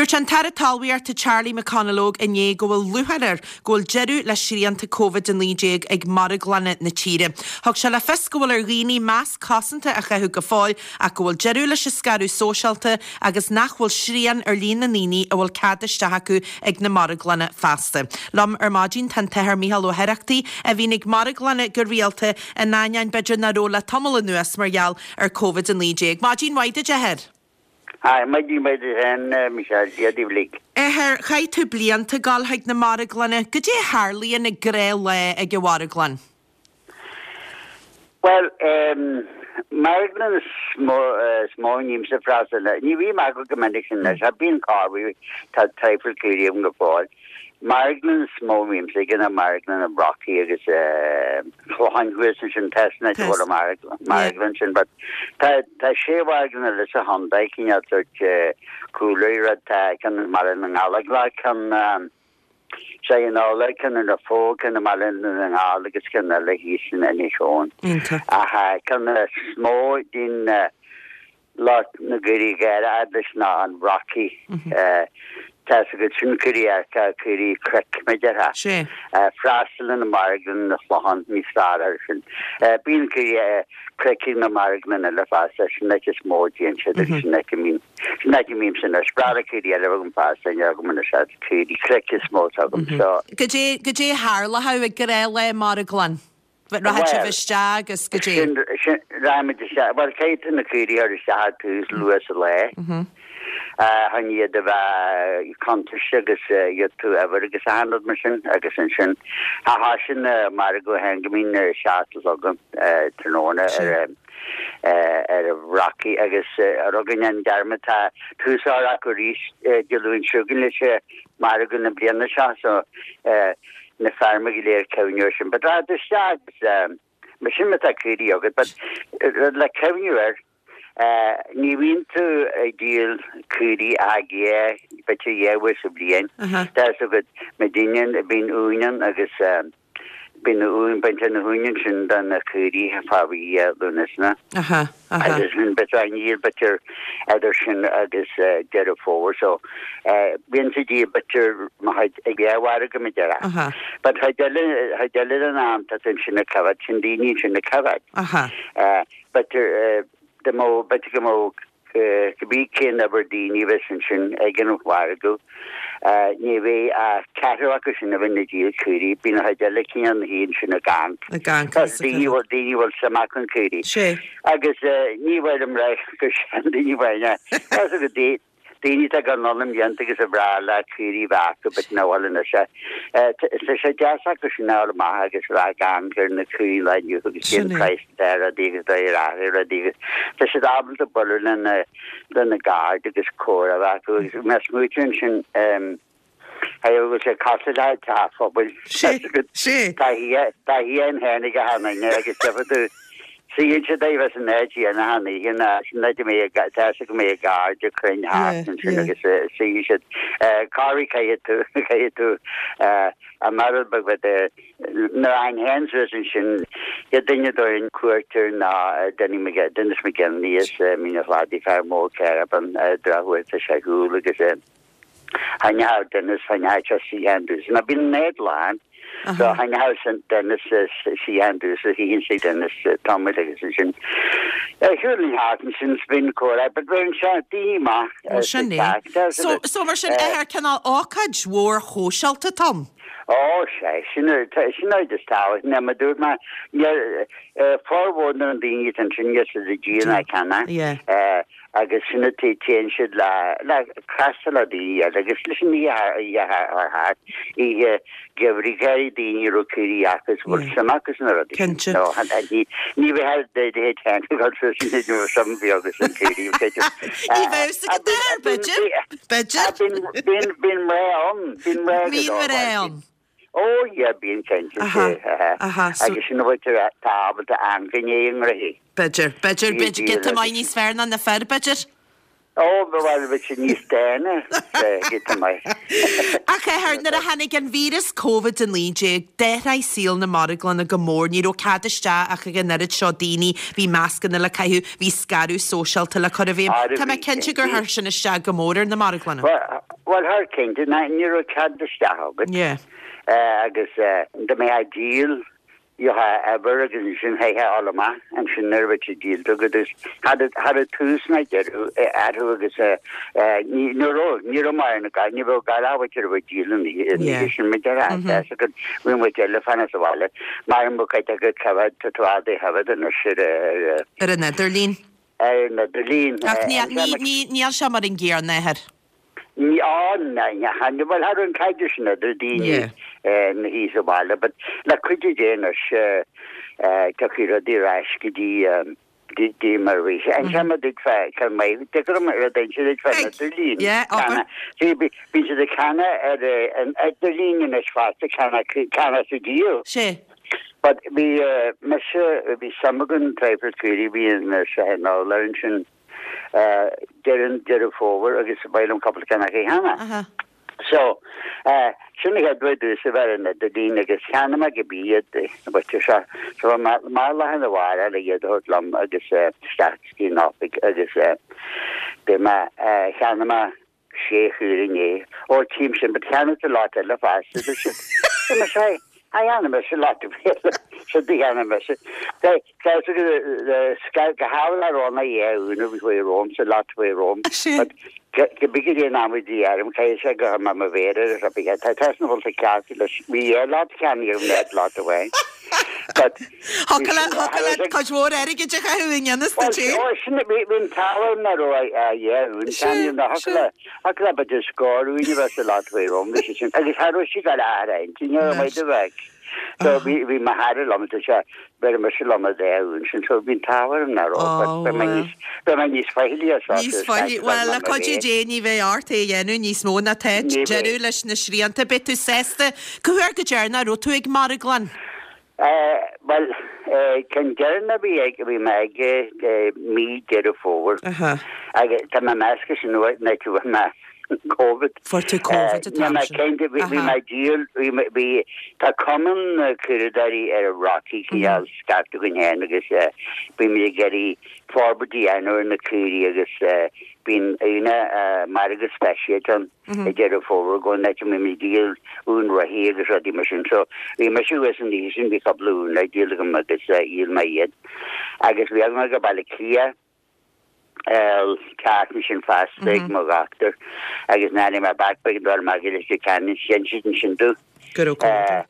Dúirt an tAire Talmhaíochta Charlie McConalogue inné go bhfuil lúcháir air go bhfuil deireadh le srianta Covid-19 ag marglanna na tíre. Thug sé le fios go bhfuil ar dhaoine masc cosanta a chaitheamh go fóill ach go bhfuil deireadh leis an scaradh sóisialta agus nach bhfuil srian ar líon na ndaoine a bhfuil cead isteach acu ag na marglanna feasta. Liom ar maidin tá an tAthair Micheál Ó hOireachtaigh a bhíonn ag marglanna go rialta in ainneoin b'fhéidir nach raibh le tamall anuas mar gheall ar Covid-19. Maidin mhaith duit a Athair. Hi, maidin mhaith duit féin, Michelle, Dia daoibh uilig. Athair, chaith tú blianta ag dul chuig na marglanna. Goidé a tharlaíonn ag gnáthlá ag an mharglann? Bhuel, em, marglann is mó, is mó a mbímse ag freastal air. Ní bhím acu go minic sin anois, ach bíonn corruair, tá traidhfil caoirigh agam go fóill. Marglann is mó a bhímse aige ná marglann an Bhrocaigh agus Chlocháin thuas ansin tá san áit a bhfuil an marglann sin but tá tá sé mharglann eile sa chontae cineál sórt cúlra rud tá ceann i mBaile na nGallóglach ceann sé in Ála ceann i Raphoe ceann i mBaile na nGall agus ceann eile thíos in Inis Eoghain. Ach ceann is mó din Lucht na gcaoirigh géara a fhad leis ná an Bhrocaigh. Tá 's agat sin caoirigh adharca, caoirigh cnoic, mar a déarfá. Freastal ar na marglanna an Chlocháin níos fearr air sin. Bíonn caoirigh cnoic ag na marglanna eile fosta, sin áit is mó a dtéann siad agus sin áit a mbíonn, sin áit a mbímse anois. Breá le caoirigh eile agam fosta, ní agam anois ach caoirigh cnoic is mó atá agam. So. Goidé, goidé a tharlódh ag gnáthlá i marglann? Rachadh sibh isteach agus goidé. Sin, sin, rachaimid isteach, bhuel, caithfidh tú na caoirigh a chur isteach ar tús luath sa lá. Chun iad a bheith contráilte agus gheobhaidh tú uimhir agus achan rud mar sin agus ansin cha thosaíonn an margadh féin go mbíonn a 7 a chlog tráthnóna ar ar an Bhrocaigh agus rud a dhéanann dearmad tá tús á chur acu arís Dé Luain seo chugainn leis an margadh na bliana seo so na feirme go léir cuimhniú air sin. But rachadh tú isteach agus mar sin má tá caoirigh agat but rud le cuimhniú air ní bhíonn tú ag díol caoirigh ach dhá b'fhéidir dhá uair sa bhliain. Tá fhios agat má deineann bíonn uain ann agus bíonn na uain baintear na huain ansin do na caoirigh fá mhí Lúnasa. Agus sin b'fhéidir á ndíol b'fhéidir idir sin agus Deireadh Fómhair so bíonn siad díol b'fhéidir mo chuid ag dhá mhargadh mar a déarfá. But chuid eile chuid eile den am tá tú ansin ag coimhéad sin daoine ansin ag coimhéad. B'fhéidir dá mbeadh b'fhéidir go mbeadh cibé cén uimhir daoine a bheas ansin ag an mhargadh, ní bheidh ach ceathrú acu sin a bheidh ag díol caoirigh. Bíonn an chuid eile cineál ina shuí ansin ag amharc. Ag amharc, Tá daoine a bhfuil daoine a bhfuil suim acu in caoirigh. Sé. Agus ní bhfuilim le gur sin daoine amháin. Tá fhios agat daoine atá ag dul anonn i mblianta agus ar bhreá leo caoirigh a bheith acu but nach bhfuil anois. Tá sé deas acu sin a fháil amach agus a bheith ag amharc ar na caoirigh lá inniu agus cén praghas atá ar rudaí agus dóigh ar athraigh rudaí agus tá siad ábalta bualadh lena lena gcairde agus comhrá a bheith acu agus má smaoitíonn ansin Hey, bhfuil sé cosúil le teach phobail. Sé, sé. Tá taithí a'inn féin ag achan duine agus gheobhaidh tú suíonn siad daoibh as an áit chéanna achan oíche ná sin áit a mbeidh a tá fhios go mbeidh a gcairde cruinn thart ansin agus suífidh siad. Corruair caithfidh tú caithfidh tú an rud beag bheith nuair a théinn féin suas ansin chéad duine a dtabharfainn cuairt air ná Denny Dennis McGinley as Mín an Chladaigh fear mór caravan drochuair tá sé ar shiúl agus Thaitneodh Dennis thaitneodh sé suíochán domhsa ná bíonn an áit lán so thaitneodh Dennis suíochán domhsa shuífinn tigh Dennis tamall agus ansin shiúlfainn thart ansin 's bíonn comhrá but bíonn sé daoine maith Ó sin é. So so mar sin athair cineál ócáid mhór shóisialta atá ann? Ó sea, sin sin an rud is tábhachtaí ná mar dúirt mé níl formhór na ndaoine atá ansin níl siad ag díol ná ag ceannach. Yeah. agus sin a téann siad le le castáil le daoine eile agus leis an oíche oíche thar thart oíche gheimhridh ghearraigh daoine a raibh caoirigh acu is bhfuil suim acu sna rudaí sin. Cinnte. No, ní ní bheadh de de théann go suas sin ní raibh suim bhí agus an caoirigh b'fhéidir. Ní bheadh fhios agat athair, b'fhéidir, b'fhéidir. Bíonn bíonn bíonn mná ann, bíonn mná go Bíonn mná ann. Ó yeah, bíonn cinnte, Aha, aha, so. Agus sin a bhfuiltear tá ábalta amharc i ndiaidh a ngraithí. B'fhéidir, b'fhéidir, b'fhéidir, giota maith níos fearr ná na fir, b'fhéidir. Ó, bhuel, bheadh siad níos dána, giota maith. Ach athair, nuair a tháinig an víreas Covid-19, d'athraigh saol na marglanna go mór, ní raibh cead isteach ach ag an oiread seo daoine, bhí mascanna le caitheamh, bhí scaradh sóisialta le cur i bhfeidhm. Tá mé cinnte gur chuir sin isteach go mór ar na marglanna. Bhuel, Bhuel, thar cinnte, ní raibh cead isteach agat. Yeah. Agus dá mbeifeá ag díol, gheofá uimhir agus ansin chaithfeá a dhul amach ansin nuair a bheadh sé díolta agat agus cha raibh tús ná deireadh orthu agus ní raibh, ní raibh mar na ní raibh gar a bhfuil ag díol an oíche sin muid ar ais agus bhí muid eile fanacht sa bhaile mar an mbeadh cuid acu coimhéad tá tú fhada choimhéad anois ar ar an idirlíon. Ar an idirlíon. Ach níl sé mar an gcéanna, a athair. Ní ann, bhuel, cha raibh an caidreamh sin idir daoine ina shuí sa bhaile, but le cuidiú Dé anois tiocfaidh rudaí ar ais go dtí dtí mar a bhí sé. Inseoidh mé duit fá ceann maith, dtig liom rud a inse duit fán idirlíon. Yeah, abair. See, bíonn siad ag ceannach ar an idirlíon anois fosta, ceannach ceannach is díol. Sea. But bhí mise, bhí suim agam traidhfil caoirigh, bhí an seo in ansin. deireadh Deireadh Fómhair agus ba mhaith liom cúpla ceann acu a cheannach. So, sin an chéad rud domhsa a bheith ar an idirlíon agus cheannaigh mé cibé iad na bailte seo. So bhí mé amach lá arna mhárach le iad a thabhairt liom agus isteach go dtí an oifig agus bhí mé, cheannaigh mé sé chaora inné. Ó, tchím sin, but cheannaigh tú lot eile fosta, dúirt siad. Bhí mé sé, a cheannaigh mise lot eile, sin do cheannaigh mise. Tá fhios agat, go hámhail a raibh na dhá úna bhí faoi romham, sa lot faoi romham. But cibé cad é an am a bhí orm, caithfidh sé go mbeadh mo mhéar ar a throid. Tá tusa ina bhfuil tú ceart leis, bhí dhá lot cheannaithe agam, ní lot amháin. But Thiocfadh leat cuid mhór airgid a chaitheamh i ngan fhios duit féin. Ó, sin, bhí an t-ádh orm nach raibh a dhá uain cheannaithe agam, thiocfadh le b'fhéidir scór uain a bheith sa lot faoi romham, bhí sé sin, agus cha raibh sí ag dul a athrá intinne ar an maide bheag. So bhí, bhí mo chara liom, dúirt sé, bheir mise liom a dhá uain sin, so bhí an t-ádh orm nach raibh, but bheidh mé níos, bheidh mé níos faichillí as seo. Níos faillí, bhuel, le cuidiú Dé ní bheidh ort é a dhéanamh níos mó ná tá, deireadh leis na srianta, beidh tú sásta, cá huair go deireanach a raibh tú ag marglann? Bhuel, ceann deireanach a bhí ag, bhí mé ag mí Deireadh Fómhair. Agus tá mé measctha sin uaidh, nó tú bhí mé Covid. Fuair tú Covid an t-am sin. Cinnte, bhí mé ag díol, bhí mé, bhí, tá cumann na caoireadóirí ar an Rocky cineál scaipthe againn féin agus bímid ag iarraidh forbairt a dhéanamh ar na caoirigh agus bíonn aoine margadh speisialta ann. i Deireadh Fómhair go n-áit a mbímid ag díol uan reithí agus rudaí mar sin. So bhí mise thuas an oíche sin, bhí cúpla uan le díol agam agus dhíol mé iad. Agus bhí agam go Baile Átha Cliath an tseachtain sin fosta ag mo dhochtúir agus nuair a tháinig mé back b'éigean dul amach go Leitir Ceanainn, dhein siad ansin domh. Go raibh Covid.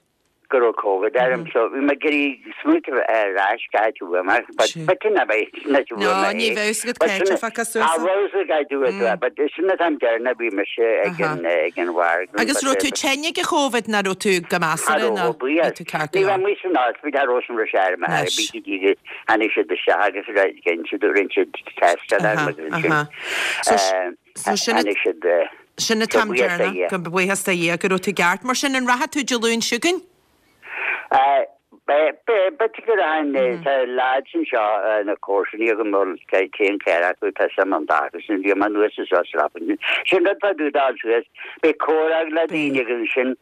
go raibh Covid orm so bhí mé ag iarraidh smaointeamh ar ais cá háit a bhfuair mé but but sin ab é sin áit a bhfuair No, mé ní é. bheadh fhios agat But cá háit sin a feiceadh suas Cha é. raibh fhios ag do it Mm. but sin an t-am deireanach a bhí mise ag Aha. an ag an mhargadh Agus but raibh tú tinn ag an Chóvid nó raibh tú go Cha measartha raibh nó ó bhí buíochas. tú ceart go Ní raibh leor? amuigh san ospidéal cha raibh san raibh sé ar m'aire Anois. bhí go dtí go tháinig siad isteach agus dhein siad rinne siad test orm Aha, agus ansin aha. So eh, so sin tháinig siad eh, Sin an So t-am buíochas do deireanach, Dhia. go buíochas do Dhia go raibh tú ceart. Mar sin, an rachaidh tú Dé Luain seo chugainn? B'fhéidir go rachainn. Tá lads anseo, na comharsanaí agam, bhuel, téann ceithre acu, tá suim an dá acu sin, bhí mé anuas is suas leofa. Sin rud fá dtaobh de dul suas, beidh comhrá le daoine agus ansin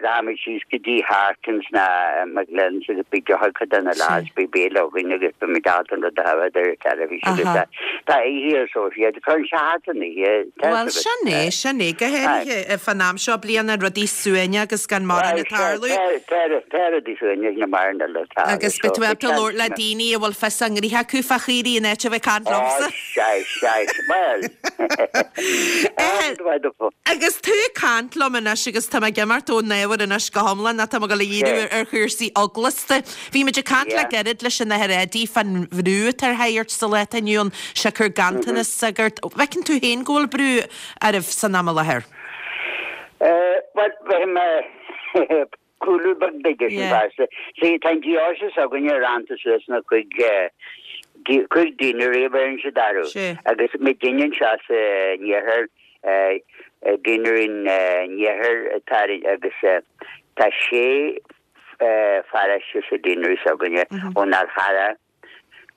Rachaimid síos go dtí Harkins ná McGlynn's agus beidh deoch ag cuid de na lads, beidh béile againn agus beimid ábalta an rud a thabhairt ar an teilifís agus Aha. tá oíche ar sóisialta, cuireann sé thart an oíche, tá Bhuel, fhios agat. sin é, sin é, go háirithe fán am seo bliana, rudaí suaimhneach agus gan mórán Bhuel, ag tarlú. tá, tá, tá rudaí suaimhneach na maireann eile ag tarlú Agus so beidh tú beidh ábalta labhairt le seans daoine a bhfuil fios a ngnithe acu fá chaoirigh in áit a bheith ag caint Ó, liomsa. sea, sea, bhuel. Agus tú ag caint liom anois agus tá mé ag imeacht ón ábhar anois go hiomlán ach tá mé ag dul a dhíriú ar chúrsaí eaglasta. Bhí muid ag caint le gairid leis an Athair Eddie fán bhrú atá ar shagairt sa lá atá inniu ann, siocair ganntanas sagart. Bhfeiceann tú féin go bhfuil brú oraibh san am i láthair? Bhuel, bheadh mé Cúlú beag b'fhéidir sin fosta. See, tá an deoise s'againne rannta suas ina chuig, chuig deanery a bheireann siad orthu. Agus muidinne anseo sa n-iarthar, deanery an iarthair atá agus tá sé pharóiste sa deanery s'againne, ón Fhál Charrach,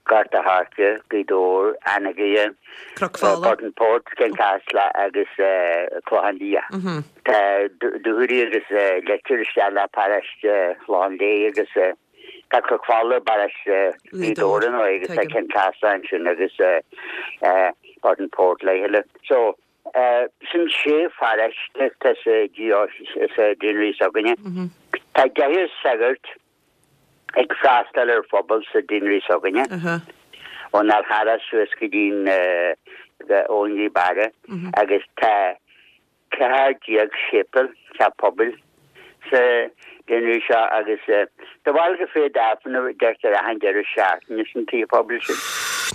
Gort a' Choirce, Gaoth Dobhair, Anagaire, Cnoc Fola. Burtonport, Ceann Caslach agus Clochán Liath. Tá Dúchoraidh agus Leitir isteach le paróiste Chlochán Léith agus tá Cnoc Fola i bparóiste Ghaoth Dobhair ar ndóigh agus tá Ceann Caslach ansin agus Burtonport le chéile. So. Sin sé pharáiste atá sa diósés, sa deanery s'againne. Tá deichniúr sagart ag freastal ar phobal sa deanery s'againne, ón Fhál Charrach suas go dtí ón nGaoth Beara, agus tá 14 séipéal, teach pobail, sa deanery seo agus do bharúil cá mhéad Aifreann a deirtear achan deireadh seachtaine sna tithe pobail sin?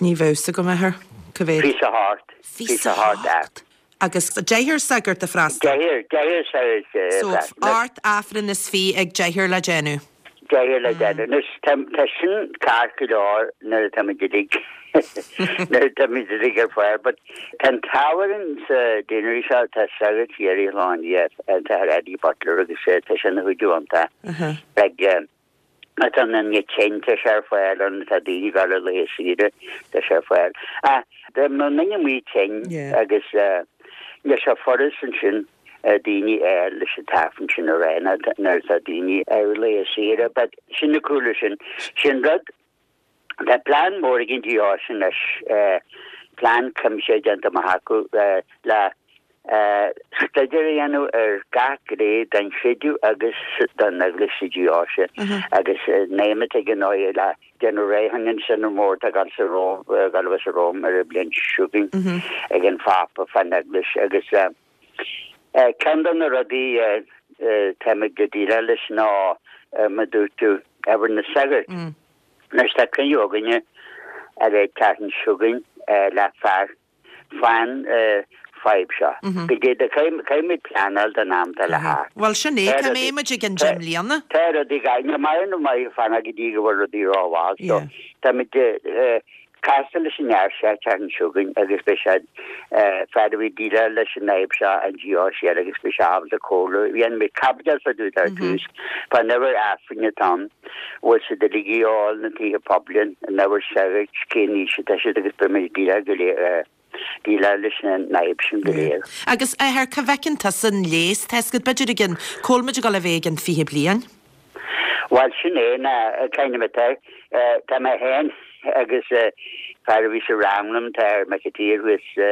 Ní bheadh 'fhios agam, a athair. Cá mhéad? 28. 28 Aifreann. Agus deichniúr sagart ag freastal? Deichniúr, deichniúr sagart ag So, freastal. ocht Aifreann is fiche ag deichniúr le déanamh. Deichniúr le déanamh. Anois, tá, tá sin ceart go leor nuair atá muid uilig, nuair atá muid uilig ar fáil, but tá an t-ádh orainn sa deanery seo, tá sagart thiar i Shláine, an tAthair Eddie Butler agus tá sé ina chuidiú iontach. Like, má tá an duine tinn, tá sé ar fáil ann, tá daoine ag dul ar laethe saoire, tá sé ar fáil. Ach dá mbeadh an duine amuigh tinn agus níl sé furast ansin, daoine a fháil leis an t-aifreann sin a rá nuair atá daoine ar laethe saoire but sin na cúla sin. Sin rud, tá plean mór ag an deoise anois, plean cuimsitheach déanta amach acu le staidéar a dhéanamh ar gach gné den chreideamh agus den eaglais sa deoise agus naomh ag an áighe le déanamh réidh chun an Sionad Mór atá ag dul sa Róimh, ag dul a bheith sa Róim ar an bhliain seo chugainn ag an Phápa fán Eaglais agus Ceann de na rudaí táimid ag déileáil leis ná, mar a dúirt tú, ábhar na sagart. Anois tá cruinniú againne ar an tseachtain seo chugainn le fear fán fadhb seo. Go dtí do caithfimid pleanáil don am atá le theacht. Bhuel sin é, cá mbeidh muid i gcionn deich mbliana? Tá rudaí, ní maith nó maith fanacht go dtí go bhfuil rudaí rómhall. So táimid Castar leis an fhear seo an tseachtain seo chugainn agus beidh sé fear a bhí ag déileáil leis an fhadhb seo an deoise eile agus beidh sé ábalta comhairle. Dhéan mé caibidil fá dtaobh de ar dtús fán uimhir Aifrinn atá ann, bhfuil siad uilig ag dul na tithe pobail, an uimhir sagairt, cén aois atá siad agus beidh muid ag déileáil go léir déileáil leis an fhadhb sin go léir. Agus, a athair, cá bhfeiceann tusa an leigheas? Tá 'fhios agat, b'fhéidir i gcionn, cá bhfuil muid ag dul a bheith i gcionn 20 bliain? Bhuel, sin é ná kind of atá. Tá mé féin agus fear a bhí sa rang liom, tá Mac an tSaoir thuas i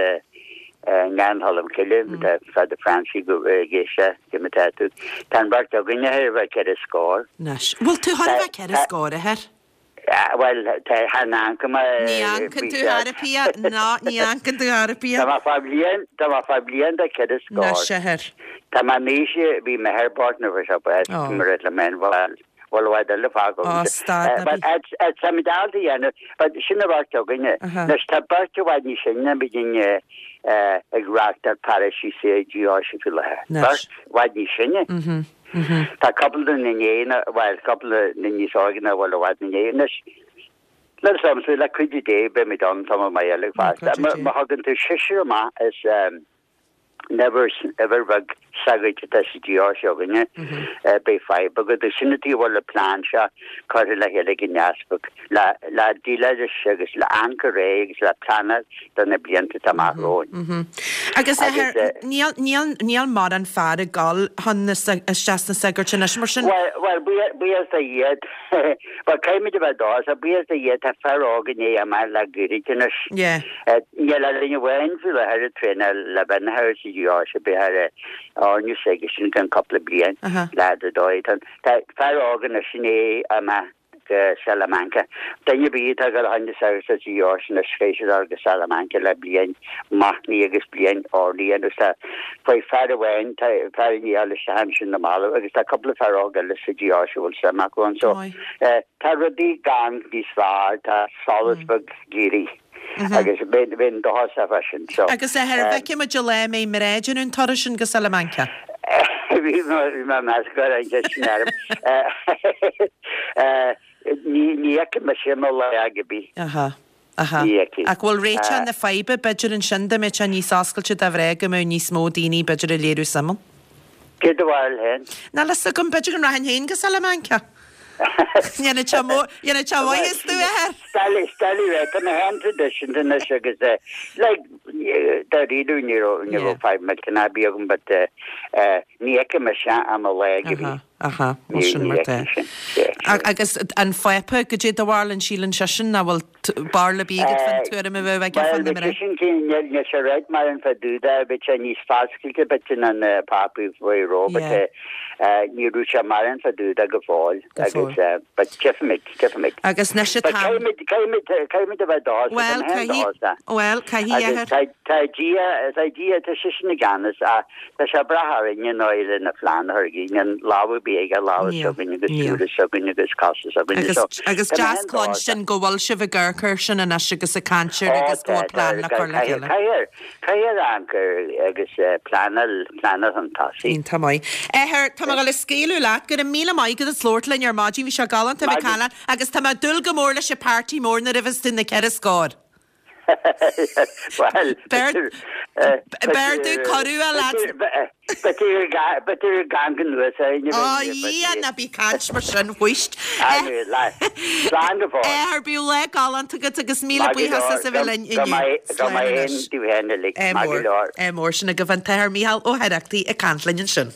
nGleann Cholm Cille, tá Father Francie go ag éisteacht go atá tú. Tá an bheirt againne chóir a bheith ceithre scór. Anois, bhfuil tú chóir a bheith ceithre scór, a athair? Bhuel, tá chan amharcann mé. Ní amharcann tú ar a bith, ná ní amharcann tú ar bith. Tá mé fá bhliain, tá mé fá bhliain de cheithre scór. Anois, a athair. Tá mé in aois a bhí m'athair bocht nuair a bhí sé bás, mar a le mé an bhfuil, bhfuil i bhfad eile fágtha Ó, stad ná bí. But tá muid ábalta a dhéanamh, but sin an bheirt againne. Anois tá beirt i bhfad níos sine ná muidinne ag reáchtáil paróistí sa deoise faoi láthair. Beirt i bhfad níos sine. Tá cúpla duine inné, bhuel, cúpla duine níos óige ná bhfuil i bhfad inné. Anois, le samsa, le cuidiú Dé, beimid ann tamall maith eile fosta. Má thugann tú seisear amach as an uimhir, uimhir bheag sagairt atá sa deoise againne, beidh fadhb agat. Sin an tuige a bhfuil an plean seo curtha le chéile ag an Easpag. Le déileáil leis agus le amharc ar aghaidh agus le pleanáil do na blianta atá amach romhainn. Agus a athair, níl, níl, níl mórán fear ag dul chun na, isteach sna sagairt anois mar sin. Bhuel, bhuel, buíochas do Dhia, bhuel, caithfimid a bheith dóchasach, buíochas do Dhia tá fear óg i ndiaidh imeacht le gairid anois. Yeah. Níl ach duine amháin faoi láthair ag traenáil le bheith ina shagart sa deoise, beidh ar airne s'aigesean i gcionn cúpla bliain, leaid ar dóigh. Tá fear óg anois i ndiaidh imeacht. go Salamanca. Duine ar bith atá ag dul chun na sagart sa deoise anois caithfidh siad dul go Salamanca le bliain machnaimh agus bliain urnaí agus tá faoi fear amháin tá fear i ndiaidh dul isteach ansin na mallaibh agus tá cúpla fear óg eile sa deoise a bhfuil suim acu ann so tá rudaí gan níos fearr tá solas beag ag éirí agus bheinn dóchasach fá sin so. Agus a athair, an bhfeicfidh muid an lá a mbeidh mná ag déanamh an turas sin go Salamanca? Bhí mé ag meas go raibh an cheist sin orm. Ní fheicfidh mise i mo lá ar bith. Aha, aha. Ní fheicfidh. Ach bhfuil réiteach na faidhbe b'fhéidir ansin dá mbeadh sé níos oscailte do mhná go mbeadh níos mó daoine b'fhéidir ag léiriú suim ann? Cé do bharúil féin? Níl fhios agam, b'fhéidir go rachainn féin go Salamanca. Dhéanfadh sé mó, dhéanfadh sé maitheas domh, a athair. Steillí, steillí ré, tá mé féin traidisiúnta anois agus eh, like, dáiríre ní raibh, ní raibh fadhb millteanach ar bith agam but eh, eh, ní fheicfidh mise i mo lá go bhí. Aha, aha, bhuel sin mar tá. Agus an Phápa, goidé do bharúil, an síleann seisean nach bhfuil. Barúil ar bith agat fán tuairim a bheadh aige fá na mná? Bhuel, sin cén, níl sé réidh mar an fá dtaobh de, bheadh sé níos foscailte bit ná na pápaí faoi ró, but ní raibh sé mar an fá dtaobh de go fóill agus but tchífimid, tchífimid. Agus anois atá. But caithfimid, caithfimid, caithfimid a bheith dóchasach, Bhuel, caithfidh, bhuel, caithfidh, Agus tá, tá Dia, tá Dia, tá seisean i gceannas ach tá sé ag brath orainne nó le na plean a chur againn, an lámh ar bith aige, lámha s'againn agus súile s'againn agus cosa s'againn so. Agus deas cluinstin go bhfuil sibh ag amharc air sin anois agus ag caint air agus go bhfuil plean le cur le chéile. Caithfidh, Caithfear amharc air agus pleanáil, pleanáil chun tosaigh. Iontach maith. Athair, tá mé ag dul a scaoileadh leat. Go raibh míle maith agat as labhairt linn ar maidin. Bhí sé galánta a bheith ag caint leat agus tá mé ag dúil go mór leis an party mór nuair a bheas tú na ceithre scór. Bhuel, Beir, beir tú cuireadh a leat. B'fhéidir b'fhéidir gan go nua sa Á Dhia, ná bí ag caint mar sin, whisht. Slán go fóill. Athair, bíodh lá galánta agat agus míle buíochas as a bheith linn inniu. Go mbeidh aon taobh féin uilig. Maith go leor. Ádh mór. Sin agaibh an tAthair Mícheál Ó hOireachtaigh ag caint linn ansin.